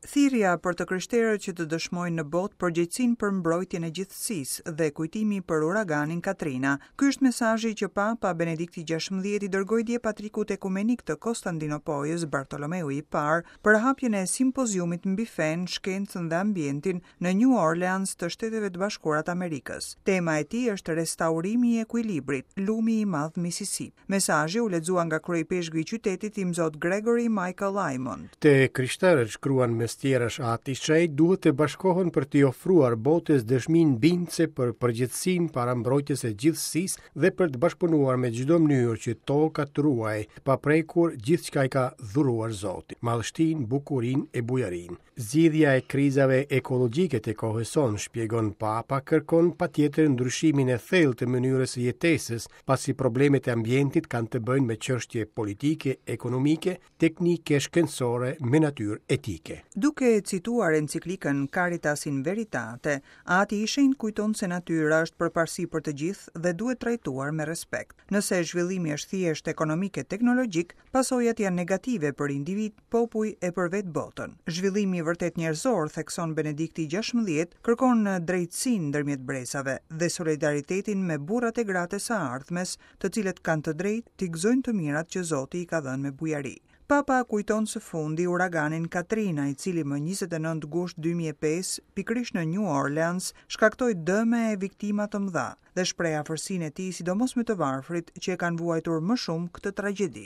Thirrja për të krishterët që të dëshmojnë në botë përgjegjësinë për mbrojtjen e gjithësisë dhe kujtimi për uraganin Katrina. Ky është mesazhi që Papa Benedikti XVI i dërgoi dje Patrikut Ekumenik të Kostandinopojës, Bartolomeu i Parë, për hapjen e simpoziumit mbi fenë, shkencën dhe ambientin në New Orleans të Shteteve të Bashkuara të Amerikës. Tema e tij është Restaurimi i ekuilibrit, lumi i madh Misisipi. Mesazhi u lexua nga kryeipeshkvi i qytetit Imzot Gregory Michael Aymond. Të krishterët, shkruan mes tjerash Ati i Shenjtë, duhet të bashkohen për t'i ofruar botës dëshminë bindëse për përgjegjësinë para mbrojtjes së gjithësisë dhe për të bashkëpunuar me çdo mënyrë që toka të ruajë të paprekur gjithçka i ka dhuruar Zoti, madhështinë, bukurinë e bujarinë. Zgjidhja e krizave ekologjike të kohës sonë, shpjegon Papa, kërkon patjetër ndryshimin e thellë të mënyrës së jetesës, pasi problemet e ambientit kanë të bëjnë me çështje politike, ekonomike, teknike, shkencore, me natyrë etike. Duke cituar enciklikën Caritas in Veritate, Ati i Shenjtë kujton se natyra është përparësi për të gjithë dhe duhet trajtuar me respekt. Nëse zhvillimi është thjesht ekonomik e teknologjik, pasojat janë negative për individë, popuj e për vetë botën. Zhvillimi i vërtetë njerëzor, thekson Benedikti XVI, kërkon drejtësinë ndërmjet brezave dhe solidaritetin me burrat e gratë e së ardhmes, të cilët kanë të drejtë t'i gëzojnë të mirat që Zoti i ka dhënë me bujari. Papa kujton së fundi uraganin Katrina, i cili më 29 gusht 2005, pikërisht në New Orleans, shkaktoi dëme e viktima të mëdha dhe shpreh afërsinë e tij sidomos me të varfrit që e kanë vuajtur më shumë këtë tragjedi.